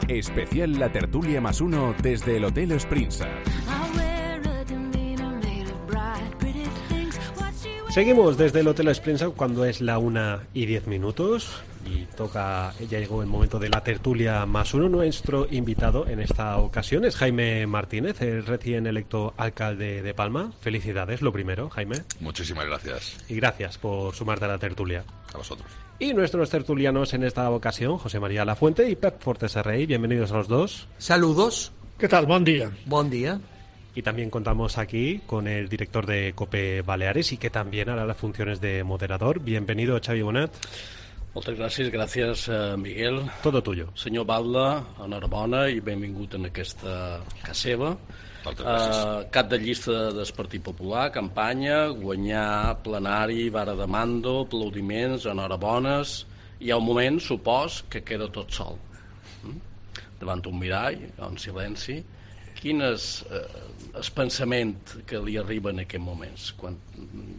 Especial La Tertulia más uno desde el Hotel Springside. Seguimos desde el Hotel Springside cuando es la 1:10 y ya llegó el momento de la tertulia más uno. Nuestro invitado en esta ocasión es Jaime Martínez, el recién electo alcalde de Palma. Felicidades, lo primero, Jaime. Muchísimas gracias. Y gracias por sumarte a la tertulia. A vosotros. Y nuestros tertulianos en esta ocasión, José María Lafuente y Pep Fortesarrey. Bienvenidos a los dos. Saludos. ¿Qué tal? Bon dia. Bon dia. Y también contamos aquí con el director de COPE Baleares y que también hará las funciones de moderador. Bienvenido, Xavi Bonet. Moltes gràcies, Miguel. Todo tuyo. Senyor Batlle, enhorabona i benvingut en aquesta casa seva. Cap de llista del Partit Popular, campanya, guanyar plenari, vara de mando, aplaudiments, enhorabones. Hi ha un moment, supos, que queda tot sol. Davant un mirall, en silenci. Quin és el pensament que li arriba en aquests moments, quan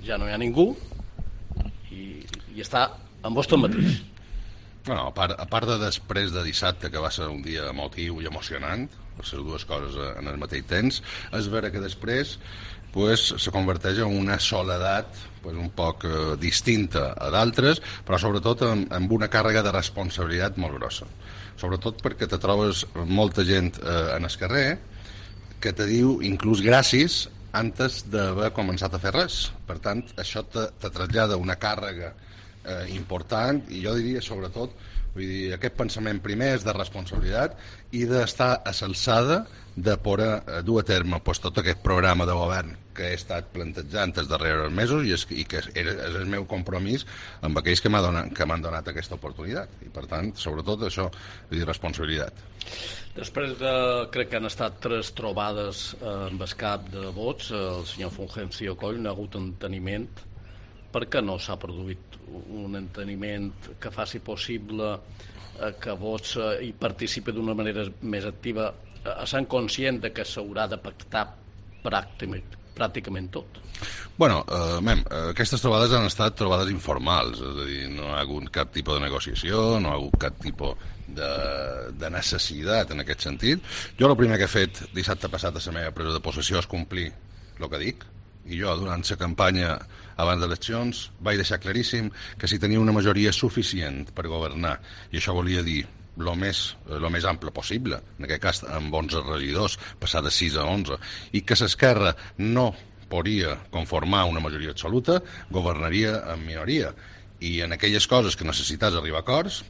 ja no hi ha ningú i està amb vostè mateix? Bueno, a part de després de dissabte, que va ser un dia emotiu i emocionant, per ser dues coses en el mateix temps, és vera que després se converteix en una soledat un poc distinta a d'altres, però sobretot amb una càrrega de responsabilitat molt grossa. Sobretot perquè te trobes molta gent en el carrer que te diu inclús gràcies antes d'haver començat a fer res. Per tant, això te trasllada una càrrega important i jo diria sobretot aquest pensament primer és de responsabilitat i d'estar a l'alçada de poder dur a terme tot aquest programa de govern que he estat plantejant els darrers mesos i que és el meu compromís amb aquells que m'han donat aquesta oportunitat i per tant, sobretot això, responsabilitat. Després crec que han estat 3 trobades amb el cap de vots, el senyor Fulgencio Coll no ha hagut enteniment. Per què no s'ha produït un enteniment que faci possible que Vox hi participi d'una manera més activa, sent conscient que s'haurà de pactar pràcticament tot? Bueno, aquestes trobades han estat trobades informals, és a dir, no ha hagut cap tipus de negociació, no ha hagut cap tipus de necessitat en aquest sentit. Jo el primer que he fet dissabte passat a la meva presa de possessió és complir el que dic, i jo durant la campanya abans d'eleccions vaig deixar claríssim que si tenia una majoria suficient per governar, i això volia dir el més ample possible, en aquest cas amb 11 regidors, passar de 6 a 11, i que l'esquerra no podria conformar una majoria absoluta, governaria en minoria. I en aquelles coses que necessitats arribar a acords,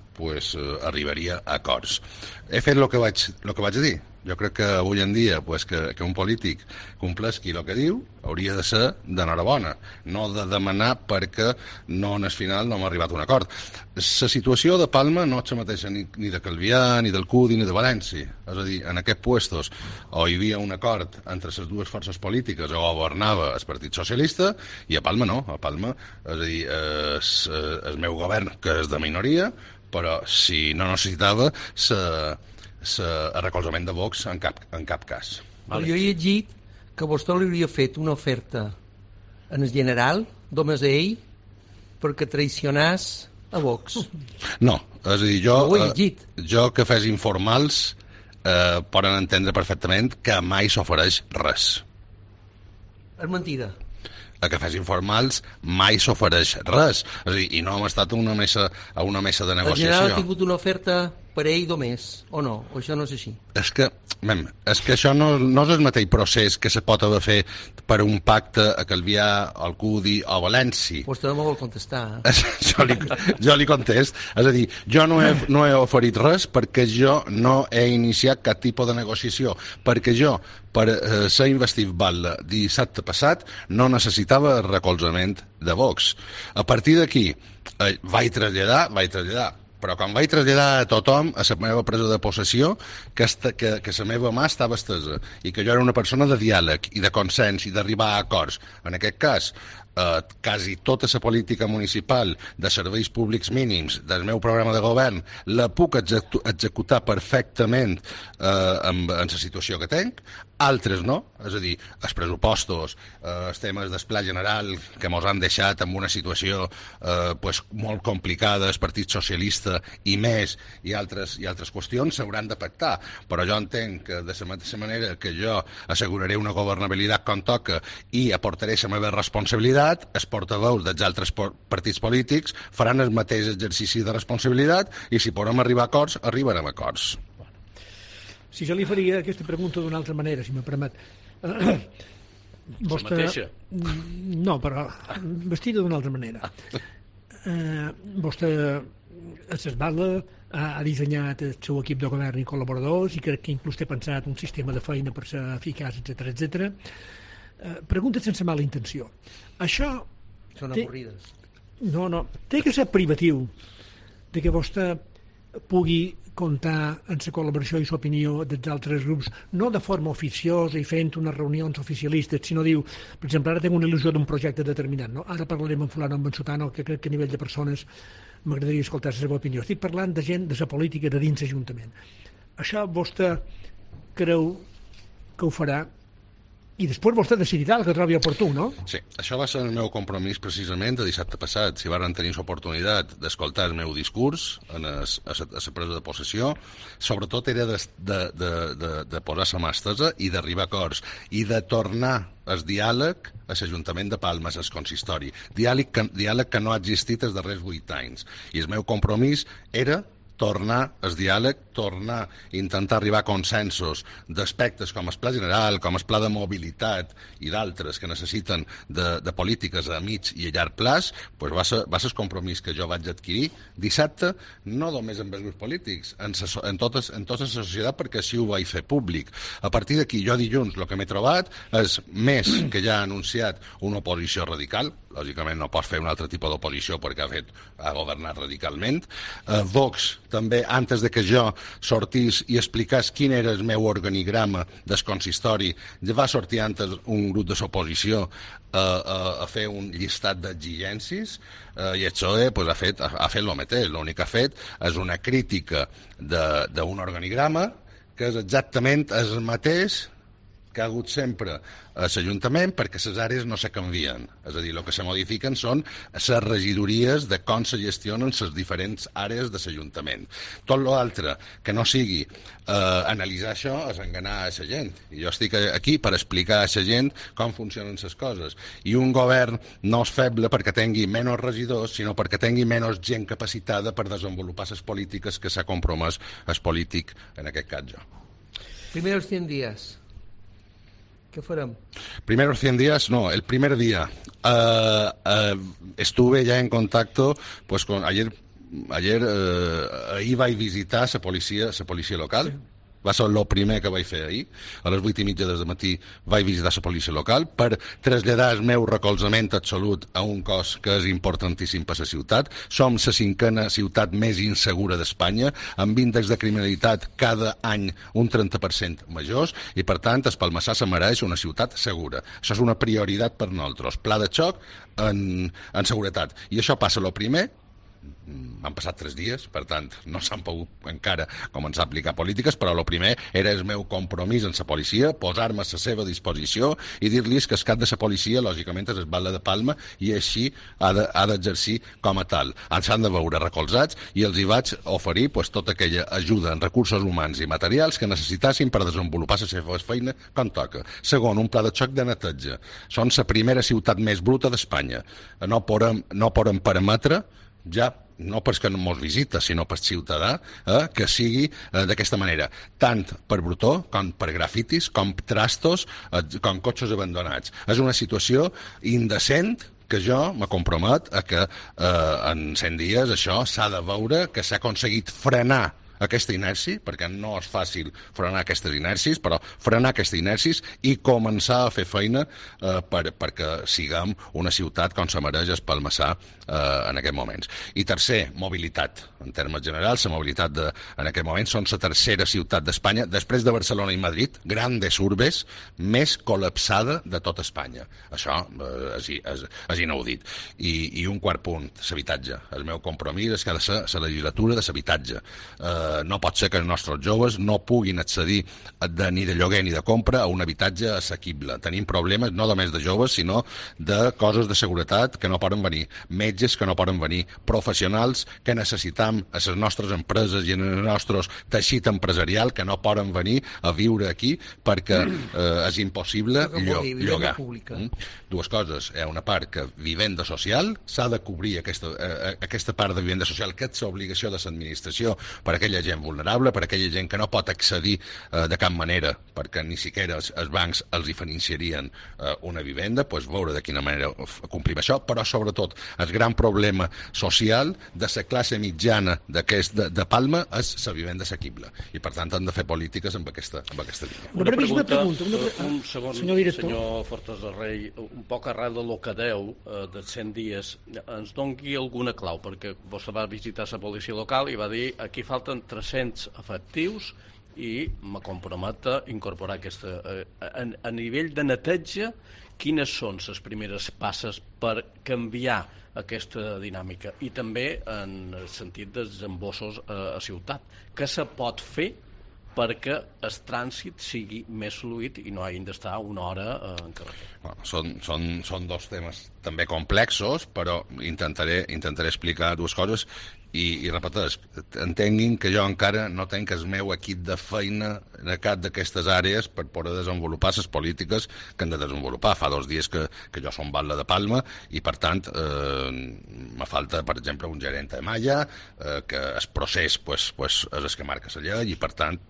arribaria a acords. He fet el que vaig dir. Jo crec que avui en dia que un polític compleixi el que diu hauria de ser d'enhorabona, no de demanar perquè al final no hem arribat a un acord. La situació de Palma no és la mateixa ni de Calvià, ni del CUDI, ni de València. És a dir, en aquests puestos o hi havia un acord entre les dues forces polítiques o governava el Partit Socialista, i a Palma no. A Palma, és a dir, el meu govern, que és de minoria, però si no necessitava el recolzament de Vox en cap cas. Vale. Jo he llegit que vostè li hauria fet una oferta en el general, només a ell, perquè traicionàs a Vox. No, és a dir, jo que fes informals poden entendre perfectament que mai s'ofereix res. És mentida. A que fes informals mai s'ofereix res. És a dir, i no hem estat a una mesa de negociació. El general ha tingut una oferta per ell només, o no? O això no és així? És que això no és el mateix procés que se pot haver fet per un pacte a Calvià, al CUDI o a València. Vostè no me vol contestar. Jo li contest. És a dir, jo no he oferit res perquè jo no he iniciat cap tipus de negociació. Perquè jo, per ser investit Batlle dissabte passat, no necessitava el recolzament de Vox. A partir d'aquí, vaig traslladar, però quan vaig traslladar a tothom a la meva presa de possessió que la meva mà estava estesa i que jo era una persona de diàleg i de consens i d'arribar a acords. En aquest cas, quasi tota la política municipal de serveis públics mínims del meu programa de govern la puc executar perfectament en la situació que tinc. altres no, és a dir, els pressupostos, els temes del pla general que mos han deixat en una situació molt complicada, el Partit Socialista i més, i altres qüestions s'hauran de pactar, però jo entenc que de la mateixa manera que jo asseguraré una governabilitat com toca i aportaré la meva responsabilitat, els portaveus dels altres partits polítics faran el mateix exercici de responsabilitat i si podem arribar a acords, arribarem a acords. Si jo li faria aquesta pregunta d'una altra manera, si me permet. Vostè... La mateixa? No, però vestida d'una altra manera. Vostè s'esbala, ha dissenyat el seu equip de govern i col·laboradors i crec que inclús té pensat un sistema de feina per ser eficaç, etc. Pregunta sense mala intenció. Això... Són avorrides. No, té que ser privatiu de que vostè pugui comptar en la col·laboració i l'opinió dels altres grups, no de forma oficiosa i fent unes reunions oficialistes, sinó diu, per exemple, ara tinc una il·lusió d'un projecte determinat, no? Ara parlarem amb fulano, amb en sutano, que crec que a nivell de persones m'agradaria escoltar la seva opinió. Estic parlant de gent de la política de dins l'Ajuntament. Això vostè creu que ho farà? I després vostè decidirà el que trobi oportú, no? Sí, això va ser el meu compromís precisament de dissabte passat. Si varen tenir l'oportunitat d'escoltar el meu discurs a la presa de possessió, sobretot era de posar la mà estesa i d'arribar a acords i de tornar el diàleg a l'Ajuntament de Palma, al consistori. Diàleg que no ha existit els darrers 8 anys. I el meu compromís era tornar el diàleg, tornar a intentar arribar a consensos d'aspectes com el pla general, com el pla de mobilitat i d'altres que necessiten de polítiques a mig i a llarg plaç, doncs va ser el compromís que jo vaig adquirir dissabte, no només amb els grups polítics, en tota la societat, perquè així ho vaig fer públic. A partir d'aquí, jo dilluns el que m'he trobat és més que ja ha anunciat una oposició radical, lògicament no pot fer un altre tipus d'oposició perquè ha governat radicalment. Vox també, antes de que jo sortís i explicés quin era el meu organigrama del consistori, ja va sortir antes un grup de l'oposició a fer un llistat d'exigències i el PSOE ha fet el mateix. L'únic que ha fet és una crítica d'un organigrama que és exactament el mateix que ha hagut sempre a l'Ajuntament perquè les àrees no se canvien. És a dir, el que se modifiquen són les regidories de com se gestionen les diferents àrees de l'Ajuntament. Tot l'altre que no sigui analitzar això és enganar a la gent. I jo estic aquí per explicar a la gent com funcionen les coses. I un govern no és feble perquè tingui menys regidors, sinó perquè tingui menys gent capacitada per desenvolupar les polítiques que s'ha compromès el polític, en aquest cas jo. Primeros 100 días. ¿Qué fueron? Primeros 100 días, no, el primer día estuve ya en contacto, pues con ayer iba a visitar la policía local. Sí. Va ser el primer que vaig fer ahir. A les 8:30 del matí vaig visitar la policia local per traslladar el meu recolzament absolut a un cos que és importantíssim per a la ciutat. Som la 5a ciutat més insegura d'Espanya, amb índexs de criminalitat cada any un 30% majors, i per tant el Palmassà se mereix una ciutat segura. Això és una prioritat per nosaltres. Pla de xoc en seguretat. I això passa el primer. Han passat 3 dies, per tant, no s'han pogut encara començar a aplicar polítiques, però el primer era el meu compromís amb la policia, posar-me a la seva disposició i dir-los que el cap de la policia, lògicament, és el batlle de Palma i així ha d'exercir com a tal. Ens han de veure recolzats i els hi vaig oferir tota aquella ajuda en recursos humans i materials que necessitassin per desenvolupar la seva feina com toca. Segon, un pla de xoc de neteja. Són la primera ciutat més bruta d'Espanya. No podem permetre ja no perquè no mos visita, sinó per ciutadà, que sigui d'aquesta manera, tant per brutó, com per grafitis, com trastos, com cotxes abandonats. És una situació indecent que jo me compromet a que en 100 dies això s'ha de veure que s'ha aconseguit frenar aquesta inèrcia, perquè no és fàcil frenar aquestes inèrcies, però frenar aquestes inèrcies i començar a fer feina perquè siguem una ciutat com se mereix el Palmassà en aquests moments. I tercer, mobilitat. En termes generals, la mobilitat en aquest moment són la tercera ciutat d'Espanya, després de Barcelona i Madrid, grandes urbes, més col·lapsada de tot Espanya. Això és inaudit. I un quart punt, l'habitatge. El meu compromís és que ha de ser la legislatura de l'habitatge. no pot ser que els nostres joves no puguin accedir ni de lloguer ni de compra a un habitatge assequible. Tenim problemes no només de joves, sinó de coses de seguretat que no poden venir, metges que no poden venir, professionals que necessitam a les nostres empreses i en el nostre teixit empresarial que no poden venir a viure aquí perquè és impossible llogar. Dues coses. Hi ha una part que vivenda social, s'ha de cobrir aquesta part de vivenda social, que és l'obligació de l'administració per a aquella gent vulnerable, per a aquella gent que no pot accedir de cap manera, perquè ni siquiera els bancs els hi financiarien una vivenda, doncs veure de quina manera complim això, però sobretot el gran problema social de la classe mitjana de Palma és la vivenda assequible, i per tant han de fer polítiques amb aquesta línia. Una pregunta. Un segon, senyor Fortes de Rei, un poc arrel de lo que deu dels 100 dies, ens doni alguna clau, perquè vostè va visitar la policia local i va dir aquí falten 300 efectius i me compromet a incorporar aquesta... A nivell de neteja, quines són les primeres passes per canviar aquesta dinàmica? I també en el sentit dels embossos a ciutat. Què se pot fer perquè el trànsit sigui més fluid i no hagin d'estar una hora en carretera? Són dos temes també complexos, però intentaré explicar dues coses i repeteix, entenguin que jo encara no tenc el meu equip de feina en cap d'aquestes àrees per poder desenvolupar les polítiques que hem de desenvolupar. Fa 2 dies que jo som batlle de Palma i, per tant, me falta, per exemple, un gerent de malla, que el procés és el que marca la llei i, per tant...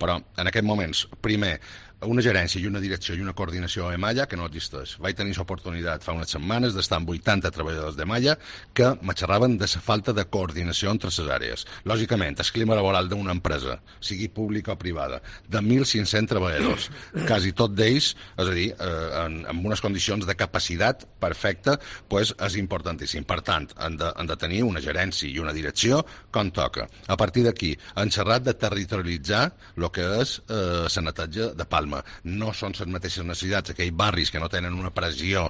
Però, en aquests moments, primer, una gerència i una direcció i una coordinació a Malla que no existeix. Vaig tenir l'oportunitat fa unes setmanes d'estar amb 80 treballadors de Malla que me xerraven de la falta de coordinació entre les àrees. Lògicament, el clima laboral d'una empresa, sigui pública o privada, de 1.500 treballadors, quasi tot d'ells, és a dir, en unes condicions de capacitat perfecta, és importantíssim. Per tant, han de tenir una gerència i una direcció com toca. A partir d'aquí, han xerrat de territorialitzar el que és la neteja de Palma. No són les mateixes necessitats aquells barris que no tenen una pressió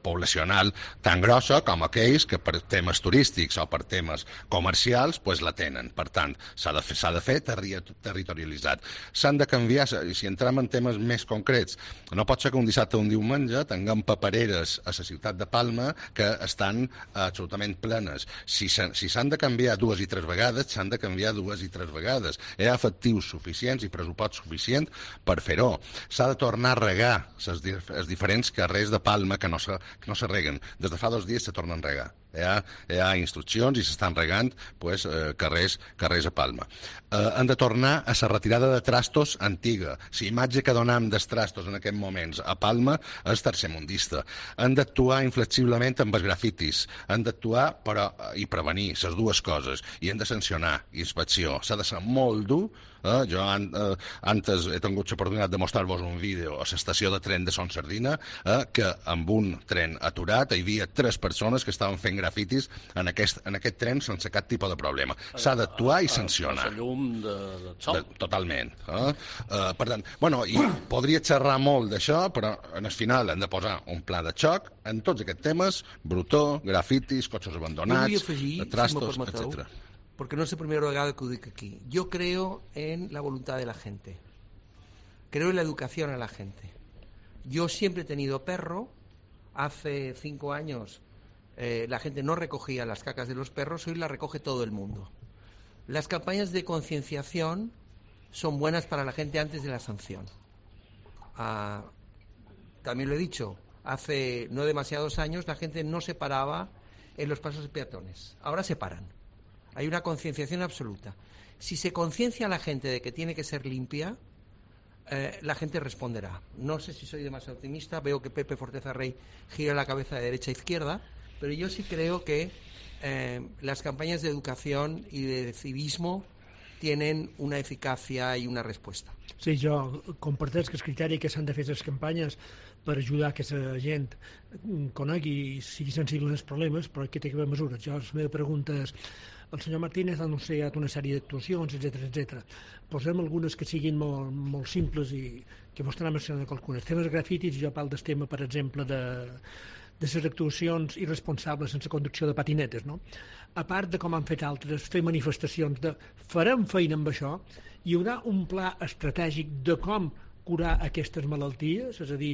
poblacional tan grossa com aquells que per temes turístics o per temes comercials la tenen. Per tant, s'ha de fer territorialitzat. S'han de canviar, si entrem en temes més concrets, no pot ser que un dissabte o un diumenge tinguem papereres a la ciutat de Palma que estan absolutament plenes. Si s'han de canviar 2 i 3 vegades, s'han de canviar 2 i 3 vegades. Hi ha efectius suficients i pressupost suficient per fer-ho. S'ha de tornar a regar els diferents carrers de Palma que no se reguen. Des de fa 2 dies se tornen a regar. Hi ha instruccions i s'estan regant carrers a Palma. Han de tornar a la retirada de trastos antiga. La imatge que donem dels trastos en aquests moments a Palma és tercermundista. Han d'actuar inflexiblement amb els grafitis. Han d'actuar i prevenir les dues coses. I han de sancionar. Inspecció. S'ha de ser molt dur. Jo antes he tingut l'oportunitat de mostrar-vos un vídeo a l'estació de tren de Son Sardina que amb un tren aturat hi havia 3 persones que estaven fent grafitis en aquest tren sense cap tipus de problema. S'ha d'actuar i sancionar. La llum de sol. Totalment. Per tant, i podria xerrar molt d'això, però en el final hem de posar un pla de xoc en tots aquests temes: brutó, grafitis, cotxes abandonats, trastos, etc. Porque no es la primera vez que lo digo aquí. Yo creo en la voluntad de la gente. Creo en la educación a la gente. Yo siempre he tenido perro. Hace 5 años la gente no recogía las cacas de los perros, hoy las recoge todo el mundo. Las campañas de concienciación son buenas para la gente antes de la sanción. También lo he dicho, hace no demasiados años la gente no se paraba en los pasos de peatones. Ahora se paran. Hay una concienciación absoluta. Si se conciencia a la gente de que tiene que ser limpia, la gente responderá. No sé si soy demasiado optimista, veo que Pepe Forteza Rey gira la cabeza de derecha a izquierda, pero yo sí creo que las campañas de educación y de civismo tienen una eficacia i una resposta. Sí, jo comparteix que el criteri que s'han de fer les campanyes per ajudar que la gent conegui i sigui sensible als problemes, però que té que haver mesures. Jo, la meva pregunta és, el senyor Martínez ha anunciat una sèrie d'actuacions, etc. Posem algunes que siguin molt simples i que vostè n'ha mencionat algunes. Temes grafitis, jo parlo del tema, per exemple, de de les actuacions irresponsables sense conducció de patinetes, no? A part de com han fet altres, fer manifestacions de farem feina amb això, hi haurà un pla estratègic de com curar aquestes malalties, és a dir,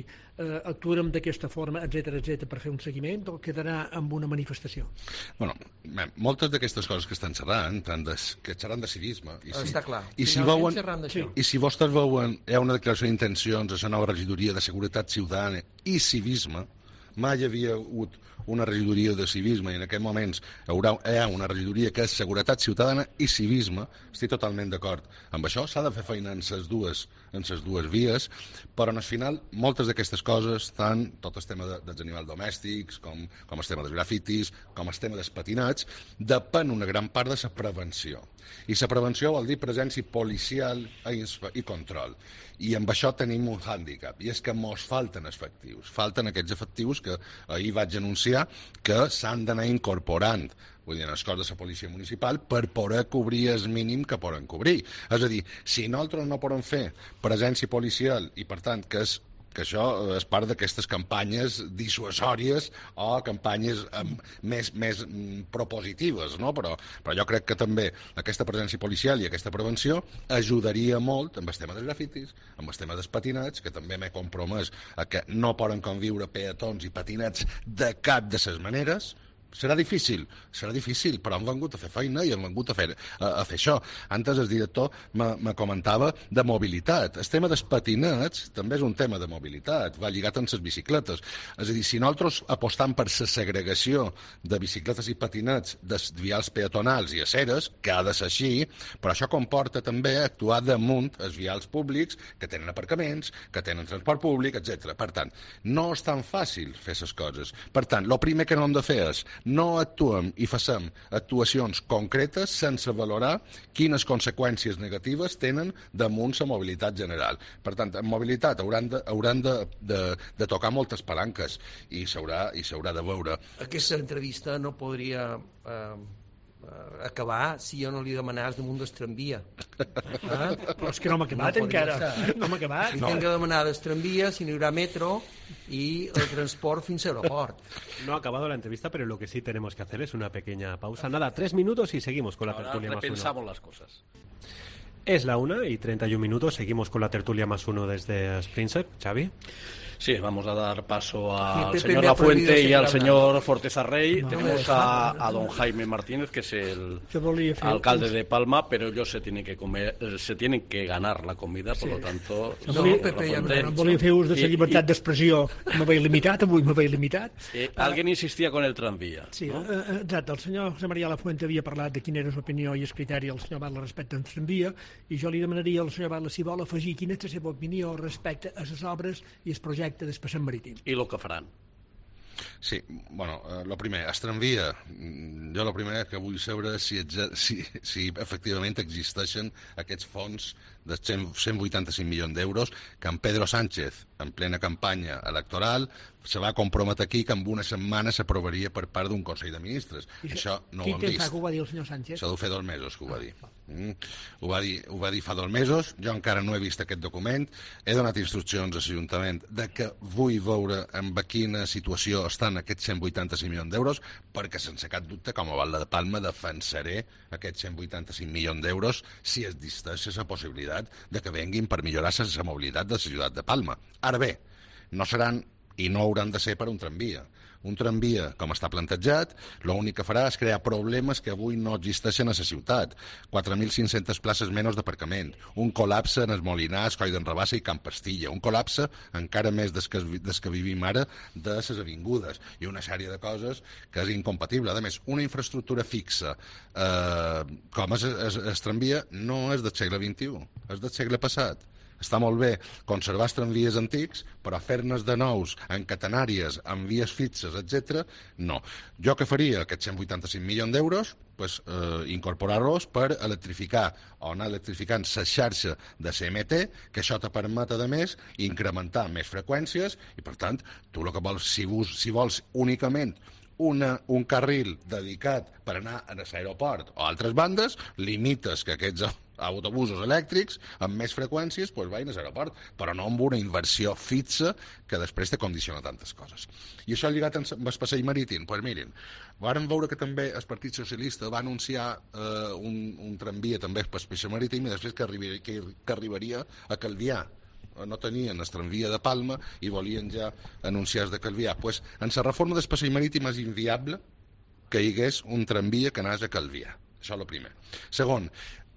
actuarem d'aquesta forma, etc per fer un seguiment, o quedarà amb una manifestació? Bueno, moltes d'aquestes coses que estan xerrant, que xerran de civisme. Està clar. I si vostès veuen, hi ha una declaració d'intencions a la nova regidoria de Seguretat Ciutadana i Civisme, mai havia hagut una regidoria de civisme i en aquests moments hi ha una regidoria que és Seguretat Ciutadana i Civisme. Estic totalment d'acord amb això. S'ha de fer feina en les dues vies, però al final moltes d'aquestes coses, tant tot el tema dels animals domèstics, com el tema dels grafitis, com el tema dels patinats, depèn una gran part de la prevenció. I la prevenció vol dir presència policial i control. I amb això tenim un hàndicap, i és que mos falten efectius. Falten aquests efectius que ahir vaig anunciar que s'han d'anar incorporant, vull dir, en el cos de la policia municipal, per poder cobrir el mínim que poden cobrir. És a dir, si nosaltres no podem fer presència policial i, per tant, que això és part d'aquestes campanyes dissuasòries o campanyes més propositives, no? Però jo crec que també aquesta presència policial i aquesta prevenció ajudaria molt amb el tema dels grafitis, amb el tema dels patinats, que també m'he compromès a que no poden conviure peatons i patinats de cap de les maneres. Serà difícil, però han vengut a fer feina i han vengut a fer això. Antes el director me comentava de mobilitat. El tema dels patinats també és un tema de mobilitat, va lligat amb les bicicletes. És a dir, si nosaltres apostam per la segregació de bicicletes i patinats dels vials peatonals i aceres, que ha de ser així, però això comporta també actuar damunt els vials públics que tenen aparcaments, que tenen transport públic, etc. Per tant, no és tan fàcil fer les coses. Per tant, el primer que no hem de fer és no actuem i facem actuacions concretes sense valorar quines conseqüències negatives tenen damunt la mobilitat general. Per tant, en mobilitat hauran de tocar moltes palanques i s'haurà de veure. Aquesta entrevista no podria acabar si jo no li demanàs damunt del tramvia. Però és que no m'ha acabat encara. No m'ha acabat. Li tinc que demanar del tramvia si no hi haurà metro y el transport fins a aeroport. No ha acabado la entrevista, pero lo que sí tenemos que hacer es una pequeña pausa. Nada, 3 minutos y seguimos con la tertulia más uno. Repensamos las cosas. Es la 1:31. Seguimos con la tertulia más uno desde Sprinsep. Xavi. Sí, vamos a dar paso al señor Lafuente y al señor Forteza Rey. Tenemos a don Jaime Martínez, que es el alcalde de Palma, pero ellos se tienen que ganar la comida, por lo tanto... No, Pepe, no volia fer ús de la llibertat d'expressió. Me veig limitat, avui me veig limitat. Alguien insistía con el tranvía. Sí, ¿no? Exacte. El senyor José María Lafuente havia parlat de quina era l'opinió i el criteri del senyor Batlle respecte al tramvia, i jo li demanaria al senyor Batlle si vol afegir quina és la seva opinió respecte a les obres i el projecte del passeig marítim. I el que faran. Sí, bueno, el primer, es tramvia. Jo el primer que vull saber si efectivament existeixen aquests fons de 185 milions d'euros que en Pedro Sánchez, en plena campanya electoral, se va comprometre aquí que en una setmana s'aprovaria per part d'un Consell de Ministres. Això no ho hem vist. Quin temps fa que ho va dir el senyor Sánchez? Això deu fer 2 mesos que ho va dir. Ho va dir fa 2 mesos, jo encara no he vist aquest document, he donat instruccions a l'Ajuntament de que vull veure en quina situació estan aquests 185 milions d'euros, perquè sense cap dubte, com a Batlle de Palma, defensaré aquests 185 milions d'euros si existeix la possibilitat de que venguin per millorar la mobilitat de la ciutat de Palma. Ara bé, no seran i no hauran de ser per un tramvia. Un tramvia, com està plantejat, l'únic que farà és crear problemes que avui no existeixen a la ciutat. 4.500 places menys d'aparcament, un col·lapse en els Molinars, Coll d'en Rabassa i Camp Pastilla, un col·lapse encara més des que vivim ara de les avingudes, i una sèrie de coses que és incompatible. A més, una infraestructura fixa com és el tramvia no és del segle XXI, és del segle passat. Està molt bé conservar els tramvies antics, però fer-ne de nous, en catenàries, en vies fixes, etc. no. Jo què faria? Aquests 185 milions d'euros, incorporar-los per electrificar o anar electrificant la xarxa de CMT, que això te permet, a més, incrementar més freqüències i, per tant, tu el que vols, si vols únicament un carril dedicat per anar a l'aeroport o a altres bandes, limites que aquests autobusos elèctrics amb més freqüències vagin a l'aeroport, però no amb una inversió fixa que després te condiciona tantes coses. I això lligat amb el passeig marítim, doncs mirin, vàrem veure que també el Partit Socialista va anunciar un tramvia també per passeig marítim i després que arribaria a Calvià. No tenien el tramvia de Palma i volien ja anunciar de Calvià. Pues, en la reforma del passeig marítim és inviable que hi hagués un tramvia que anés a Calvià. Això és el primer. Segon,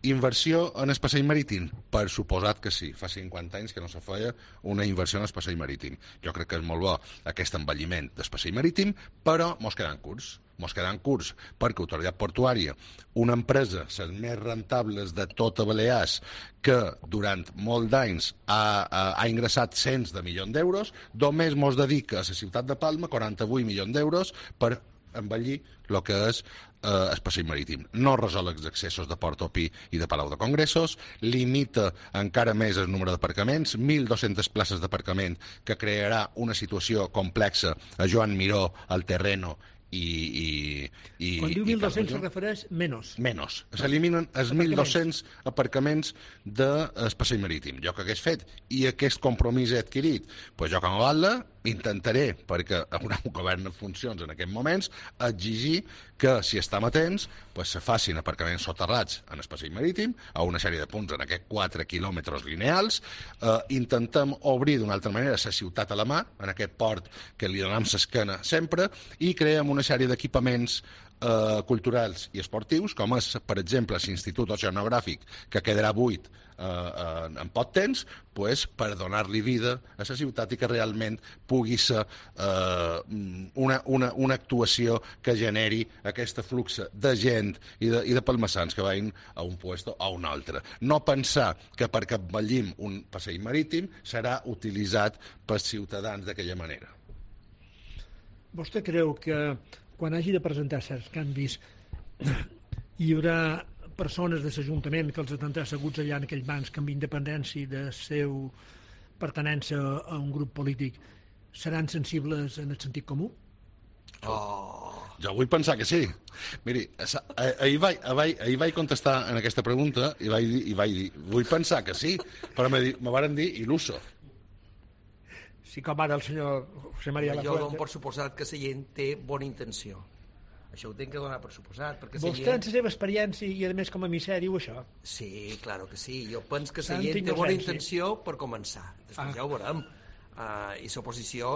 inversió en el passeig marítim? Per suposat que sí. Fa 50 anys que no se feia una inversió en el passeig marítim. Jo crec que és molt bo aquest envelliment del passeig marítim, però mos quedant curts. Mos quedant curts perquè Autoritat Portuària, una empresa, les més rentables de tota Balears, que durant molt d'anys ha ingressat cents de milions d'euros, només mos dedica a la ciutat de Palma 48 milions d'euros per envellir el que és el passeig marítim. No resol els accessos de Port Opí i de Palau de Congressos, limita encara més el número d'aparcaments, 1.200 places d'aparcament que crearà una situació complexa a Joan Miró, al Terreno i quan diu 1.200 se refereix menys. S'eliminen els 1.200 aparcaments del passeig marítim. Jo que hagués fet i aquest compromís he adquirit, jo com a Batlle intentaré, perquè haurà un govern en funcions en aquests moments, exigir que si estem atents se facin aparcaments soterrats en el passeig marítim a una sèrie de punts en aquests 4 quilòmetres lineals. Intentem obrir d'una altra manera la ciutat a la mà, en aquest port que li donem l'esquena sempre, i creem una sèrie d'equipaments culturals i esportius, com és, per exemple, l'Institut Oceanogràfic, que quedarà buit en poc temps, per donar-li vida a la ciutat i que realment pugui ser una actuació que generi aquest flux de gent i de palmassans que vagin a un puesto o a un altre. No pensar que perquè envellim un passeig marítim serà utilitzat pels ciutadans d'aquella manera. Vostè creu que quan hagi de presentar certs canvis hi haurà persones de l'Ajuntament que els tindrà asseguts allà en aquells bancs que amb independència de seu pertenença a un grup polític seran sensibles en el sentit comú? Jo vull pensar que sí. Miri, ahir vaig contestar en aquesta pregunta i vaig dir, vull pensar que sí, però me varen dir il·luso. Sí, com ara el senyor José María Lafuente. Jo dono per suposat que la gent té bona intenció. Això ho tenc que donar per suposat. Vostè, en la seva experiència i, a més, com a emissari, diu això? Sí, claro que sí. Jo penso que la gent té bona intenció per començar. Després ja ho veurem. I l'oposició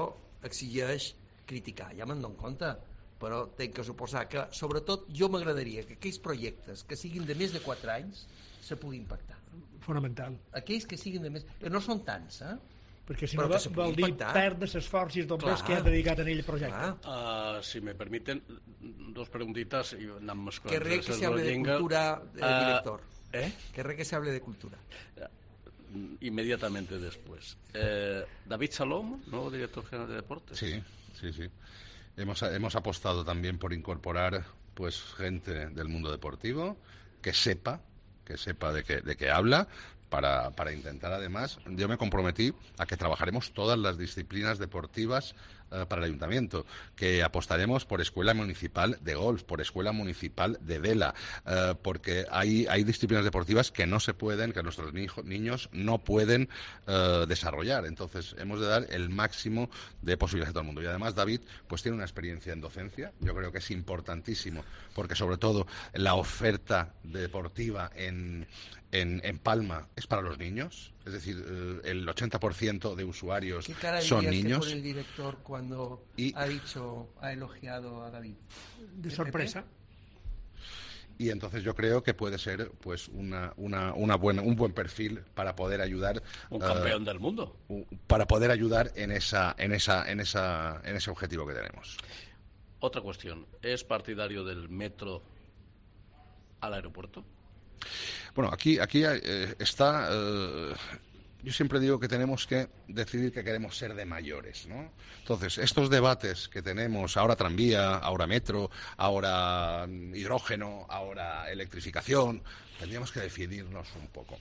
exigeix criticar. Ja me'n dono compte. Però tenc que suposar que, sobretot, jo m'agradaria que aquells projectes que siguin de més de 4 anys se puguin pactar. Fonamental. Aquells que siguin de més... No són tants, perquè si no vol dir perdre l'esforç i els dobles que ha dedicat en ell projecte. Si me permiten, dos preguntitas y andan más que re que se hable de cultura, director. Que re que se hable de cultura. Inmediatamente después. David Salom, nuevo director general de deportes. Sí. Hemos apostado también por incorporar gente del mundo deportivo que sepa de qué habla, para intentar, además, yo me comprometí a que trabajaremos todas las disciplinas deportivas para el ayuntamiento, que apostaremos por escuela municipal de golf, por escuela municipal de vela, porque hay disciplinas deportivas que no se pueden, que nuestros niños no pueden desarrollar. Entonces hemos de dar el máximo de posibilidades a todo el mundo. Y además David tiene una experiencia en docencia. Yo creo que es importantísimo, porque sobre todo la oferta deportiva en Palma es para los niños, es decir, el 80% de usuarios son niños. ¿Qué cara el director cuando ha elogiado a David? De sorpresa. Y entonces yo creo que puede ser un buen perfil para poder ayudar, un campeón del mundo, para poder ayudar en ese objetivo que tenemos. Otra cuestión, ¿es partidario del metro al aeropuerto? Bueno, aquí está. Yo siempre digo que tenemos que decidir que queremos ser de mayores, ¿no? Entonces, estos debates que tenemos, ahora tranvía, ahora metro, ahora hidrógeno, ahora electrificación, tendríamos que definirnos un poco.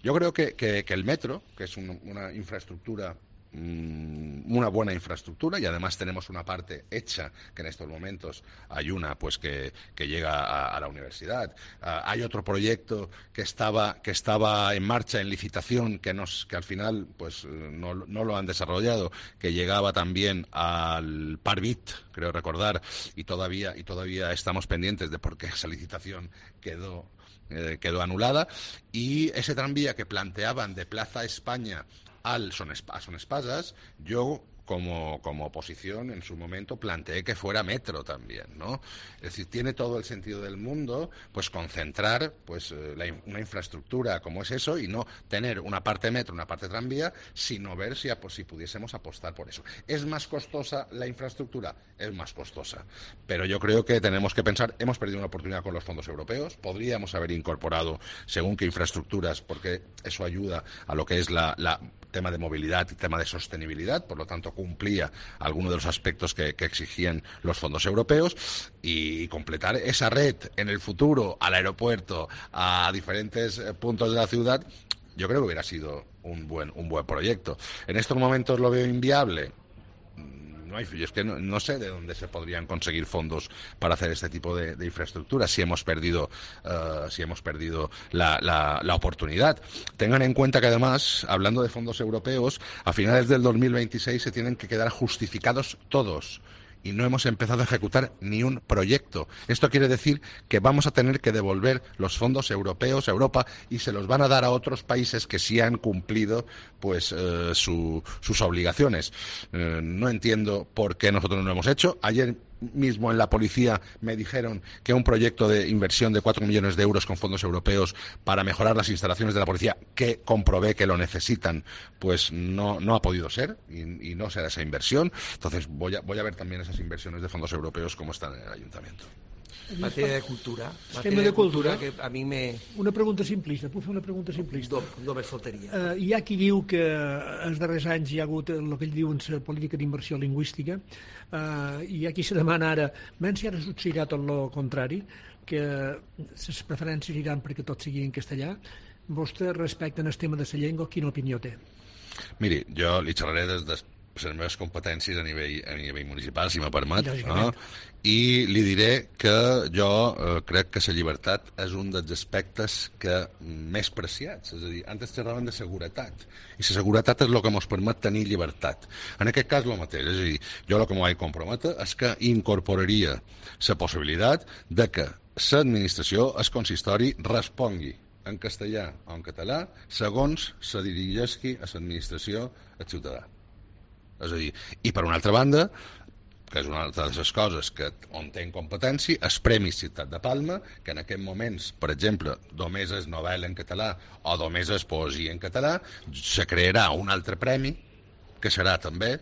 Yo creo que el metro, que es una infraestructura una buena infraestructura y además tenemos una parte hecha que en estos momentos hay una pues que llega a la universidad. Hay otro proyecto que estaba en marcha, en licitación, que al final pues no lo han desarrollado, que llegaba también al Parvit, creo recordar, y todavía estamos pendientes de por qué esa licitación quedó anulada. Y ese tranvía que planteaban de Plaza España a Son Espases, yo como oposición en su momento planteé que fuera metro también, ¿no? Es decir, tiene todo el sentido del mundo pues concentrar pues una infraestructura como es eso y no tener una parte metro, una parte tranvía, sino ver si pudiésemos apostar por eso. ¿Es más costosa la infraestructura? Es más costosa, pero yo creo que tenemos que pensar, hemos perdido una oportunidad con los fondos europeos, podríamos haber incorporado según qué infraestructuras, porque eso ayuda a lo que es la tema de movilidad y tema de sostenibilidad, por lo tanto cumplía algunos de los aspectos que exigían los fondos europeos, y completar esa red en el futuro al aeropuerto, a diferentes puntos de la ciudad, yo creo que hubiera sido un buen proyecto. En estos momentos lo veo inviable. Es que no sé de dónde se podrían conseguir fondos para hacer este tipo de infraestructuras si hemos perdido la oportunidad. Tengan en cuenta que además, hablando de fondos europeos, a finales del 2026 se tienen que quedar justificados todos. Y no hemos empezado a ejecutar ni un proyecto. Esto quiere decir que vamos a tener que devolver los fondos europeos a Europa y se los van a dar a otros países que sí han cumplido pues sus obligaciones. No entiendo por qué nosotros no lo hemos hecho. Ayer mismo en la policía me dijeron que un proyecto de inversión de 4 millones de euros con fondos europeos para mejorar las instalaciones de la policía, que comprobé que lo necesitan, pues no ha podido ser y no será esa inversión. Entonces voy a ver también esas inversiones de fondos europeos como están en el ayuntamiento. Matèria de cultura. Tema de cultura. Que a mi me... Una pregunta simplista. Puc fer una pregunta simplista? Només faltaria. Hi ha qui diu que els darrers anys hi ha hagut el que ells diuen la política d'inversió lingüística, i hi ha qui se demana ara, menys si ara succeirà tot el contrari, que les preferències iran perquè tot sigui en castellà. Vostè, respecte al tema de la llengua, quina opinió té? Miri, jo li xerraré des de les meves competències a nivell municipal, si me permet, no? I li diré que jo crec que la llibertat és un dels aspectes més preciats. És a dir, antes xerraven de seguretat, i la seguretat és el que ens permet tenir llibertat. En aquest cas, el mateix. És a dir, jo el que m'ho vaig comprometre és que incorporaria la possibilitat de que l'administració, el consistori, respongui en castellà o en català segons se dirigeixi a l'administració al ciutadà. És a dir, i per una altra banda, que és una altra de les coses on tenc competència, el Premi Ciutat de Palma, que en aquests moments, per exemple, només és novel·la en català o només és poesia en català, se crearà un altre premi, que serà també,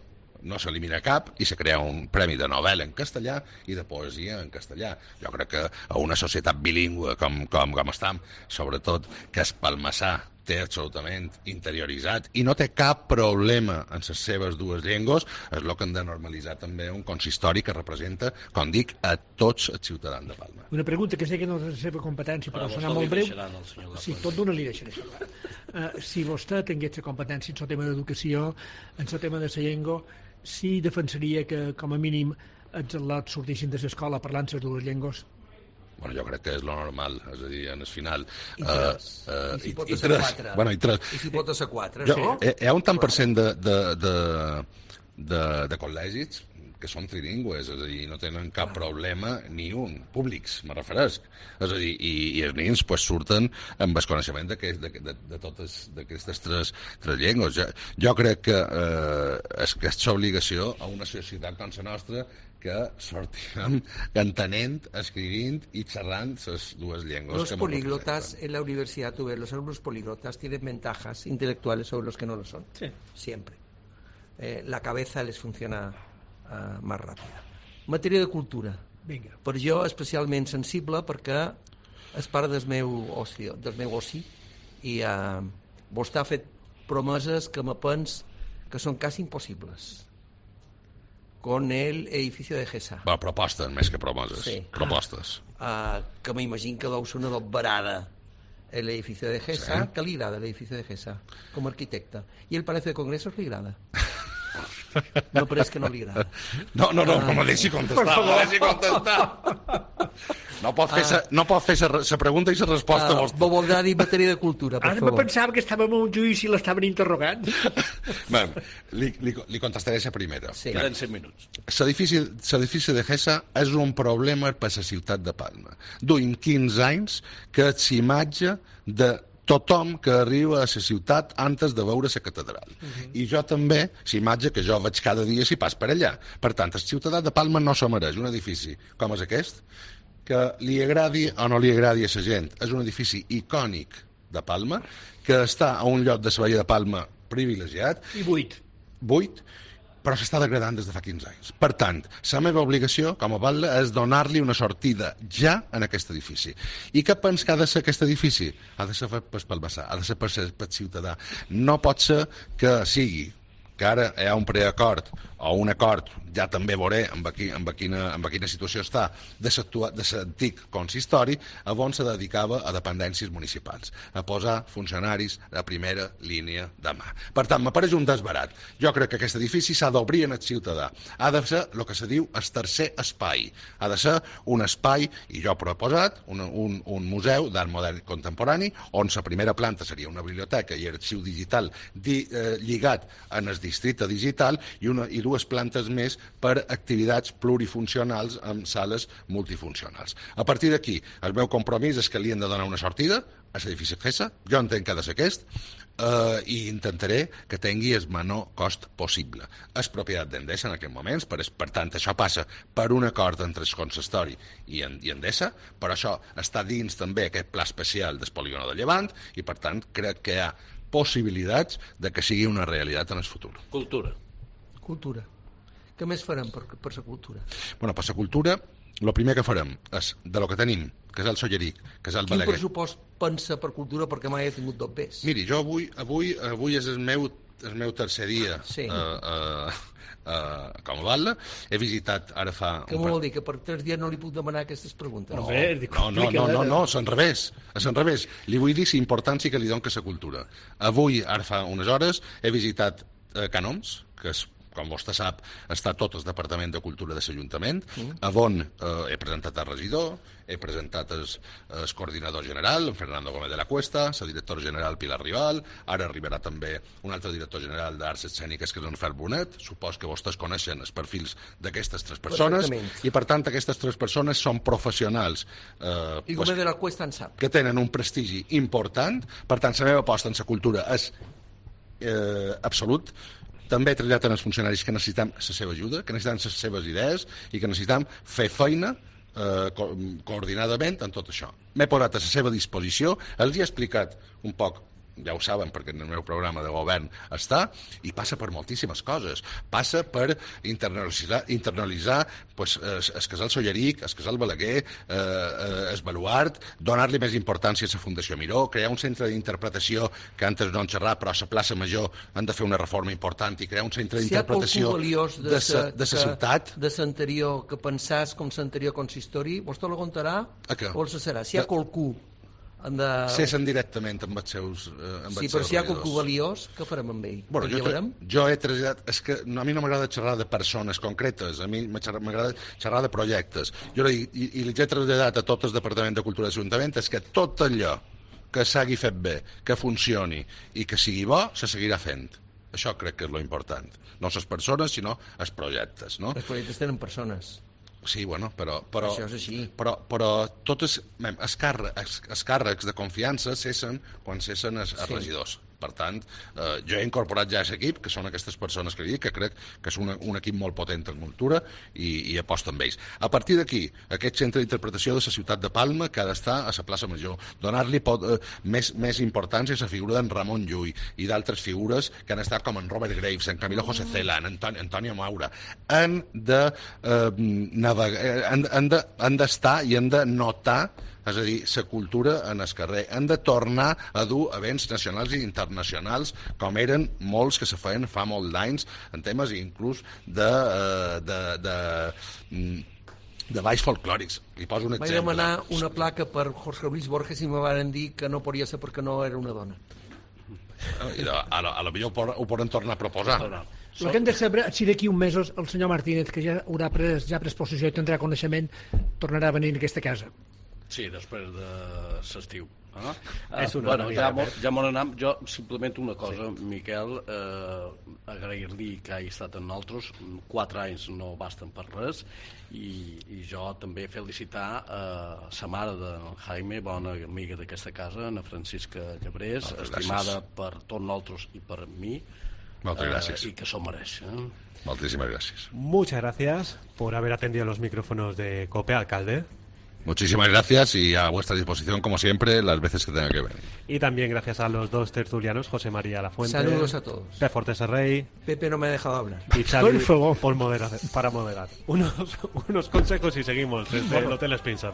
no s'elimina cap, i se crea un premi de novel·la en castellà i de poesia en castellà. Jo crec que a una societat bilingüe com estem, sobretot que el palmassà té absolutament interioritzat i no té cap problema en les seves dues llengües, és el que hem de normalitzar també un consistori que representa, com dic, a tots els ciutadans de Palma. Una pregunta que sé que no és la seva competència, però serà molt breu. Sí, tot d'una li deixaré. Si vostè tingués la competència en el tema d'educació, en el tema de la llengua, sí defensaria que, com a mínim, els al·lots sortissin de l'escola parlant les dues llengües? Bueno, jo crec que és lo normal, és a dir, en el final... I si pot ser 4. Bueno, i 3. I si pot ser 4, no? Hi ha un tant per cent de col·legis que són trilingües, és a dir, no tenen cap problema ni un, públics, me refereix. És a dir, i els nens pues, surten amb el coneixement de totes aquestes tres llengües. Jo crec que és aquesta obligació a una societat com la nostra que sortirem entenent, escrivint y xerrant les dues llengües. Los políglotas en la universidad, tú ves, los alumnos políglotas tienen ventajas intelectuales sobre los que no lo son. Sí. Siempre. La cabeza les funciona más rápida. Matèria de cultura. Vinga. Per jo especialment sensible perquè és part del meu oci i vostè ha fet promeses que me pens que són quasi impossibles. Con el edificio de GESA. Va, propostes, més que promeses. Sí. Propostes. Que m'imagino que deu ser una barada el edificio de GESA, sí. Que li agrada el edificio de GESA, com a arquitecte. I el Palacio de Congresos li agrada. No, però és que no li agrada. No me deixi contestar. No pot fer la pregunta i la resposta vostra. Bo voldrà dir matèria de cultura, per Ara favor. me pensava que estàvem en un judici i l'estaven interrogant. Li contestaré la primera. Sí. Queden 100 minuts. L'edifici de Gessa és un problema per la ciutat de Palma. Duim 15 anys que és imatge de tothom que arriba a la ciutat antes de veure la catedral. I jo també, la imatge que jo veig cada dia si pas per allà. Per tant, el ciutadà de Palma no se mereix un edifici com és aquest, que li agradi o no li agradi a la gent. És un edifici icònic de Palma, que està a un lloc de la Badia de Palma privilegiat. I buit. Però s'està degradant des de fa 15 anys. Per tant, la meva obligació, com a batlle, és donar-li una sortida ja en aquest edifici. I què pensa que ha de ser aquest edifici? Ha de ser pel vessar, ha de ser pel ciutadà. No pot ser que sigui que ara hi ha un preacord o un acord, ja també veuré en quina situació està, de l'antic consistori, on se dedicava a dependències municipals, a posar funcionaris de primera línia de mà. Per tant, m'apareix un desbarat. Jo crec que aquest edifici s'ha d'obrir en el ciutadà. Ha de ser el que se diu el tercer espai. Ha de ser un espai, i jo he proposat, un museu d'art modern contemporani, on la primera planta seria una biblioteca i arxiu digital lligat en el districte digital i dues plantes més per activitats plurifuncionals amb sales multifuncionals. A partir d'aquí, el meu compromís és que li hem de donar una sortida a l'edifici Gessa, jo entenc que ha de ser aquest, i intentaré que tingui el menor cost possible. És propietat d'Endesa en aquests moments, per tant, això passa per un acord entre el consistori i Endesa, però això està dins també aquest pla especial del polígon de Llevant, i per tant crec que hi ha possibilitats de que sigui una realitat en el futur. Cultura. Què més farem per la cultura? Bueno, per la cultura, el primer que farem és, de lo que tenim, que és el Solleric, que és el Balaguer. Quin pressupost pensa per cultura? Perquè mai he tingut dos pes. Miri, jo avui és el meu tercer dia com a batlle. He visitat ara fa... Què vol dir? Que per 3 dies no li puc demanar aquestes preguntes? No, és al revés. Li vull dir la importància que li dono a la cultura. Avui, ara fa unes hores, he visitat Canoms, que és, com vostè sap, està tot el Departament de Cultura de l'Ajuntament, on he presentat el regidor, he presentat el coordinador general, en Fernando Gómez de la Cuesta, la directora general Pilar Rival, ara arribarà també un altre director general d'Arts Escèniques, que és en Fer Bonet. Supos que vostès coneixen els perfils d'aquestes 3 persones, i per tant aquestes 3 persones són professionals I Gómez de la Cuesta en sap. Que tenen un prestigi important. Per tant, la meva aposta en la cultura és absolut. També he traslladat als funcionaris que necessitem la seva ajuda, que necessitem les seves idees i que necessitem fer feina coordinadament en tot això. M'he posat a la seva disposició, els he explicat un poc, ja ho saben perquè en el meu programa de govern està, i passa per moltíssimes coses. Passa per internalitzar el casal Solleric, el casal Balaguer, el Baluart, donar-li més importància a la Fundació Miró, crear un centre d'interpretació que antes no han xerrat, però a la plaça Major han de fer una reforma important, i crear un centre d'interpretació de la ciutat. De l'anterior, que pensàs com l'anterior consistori, vostè lo contarà o el serà? Si hi ha qualcú cessen directament amb els seus sí, però si hi ha qualcú valiós, què farem amb ell? Jo he traslladat... És que a mi no m'agrada xerrar de persones concretes, a mi m'agrada xerrar de projectes. Jo i li he traslladat a tot el Departament de Cultura de l'Ajuntament és que tot allò que s'hagi fet bé, que funcioni i que sigui bo, se seguirà fent. Això crec que és lo important. No les persones, sinó els projectes. No? Els projectes tenen persones. Sí, bueno, però això és així. Però tots els càrrecs de confiança cessen quan cessen els regidors. Per tant, jo he incorporat ja a l'equip, que són aquestes persones que dic, que crec que és un equip molt potent en cultura, i aposto amb ells. A partir d'aquí, aquest centre d'interpretació de la ciutat de Palma, que ha d'estar a la plaça Major, donar-li més importància a la figura d'en Ramon Llull i d'altres figures que han estat com en Robert Graves, en Camilo José Cela, en Antonio Maura. Han d'estar i han de notar, és a dir, la cultura en el carrer. Han de tornar a dur events nacionals i internacionals, com eren molts que se feien fa molt d'anys, en temes inclús de balls folclòrics. Li poso un exemple. Vaig demanar una placa per Jorge Luis Borges i me van dir que no podia ser perquè no era una dona. A lo millor ho poden tornar a proposar. El que hem de saber si d'aquí uns mesos el senyor Martínez, que ja haurà pres possessió i tindrà coneixement, tornarà a venir a aquesta casa. Sí, després de l'estiu. Bueno, ja m'ho anem. Jo simplement una cosa, Miquel, agrair-li que hagi estat amb nosaltres. 4 anys no basten per res, i jo també felicitar sa mare de Jaime, bona amiga d'aquesta casa, Ana Francisca Llebrés, estimada per tots nosaltres i per mi. Muchas gracias. Y que eso merece. Muchísimas gracias. Muchas gracias por haber atendido los micrófonos de COPE, alcalde. Muchísimas gracias y a vuestra disposición, como siempre, las veces que tenga que venir. Y también gracias a los 2 tertulianos, José María Lafuente. Saludos a todos. Pep Fortes Rey. Pepe no me ha dejado hablar. Y Xavi para moderar. Unos consejos y seguimos desde el Hotel Spencer.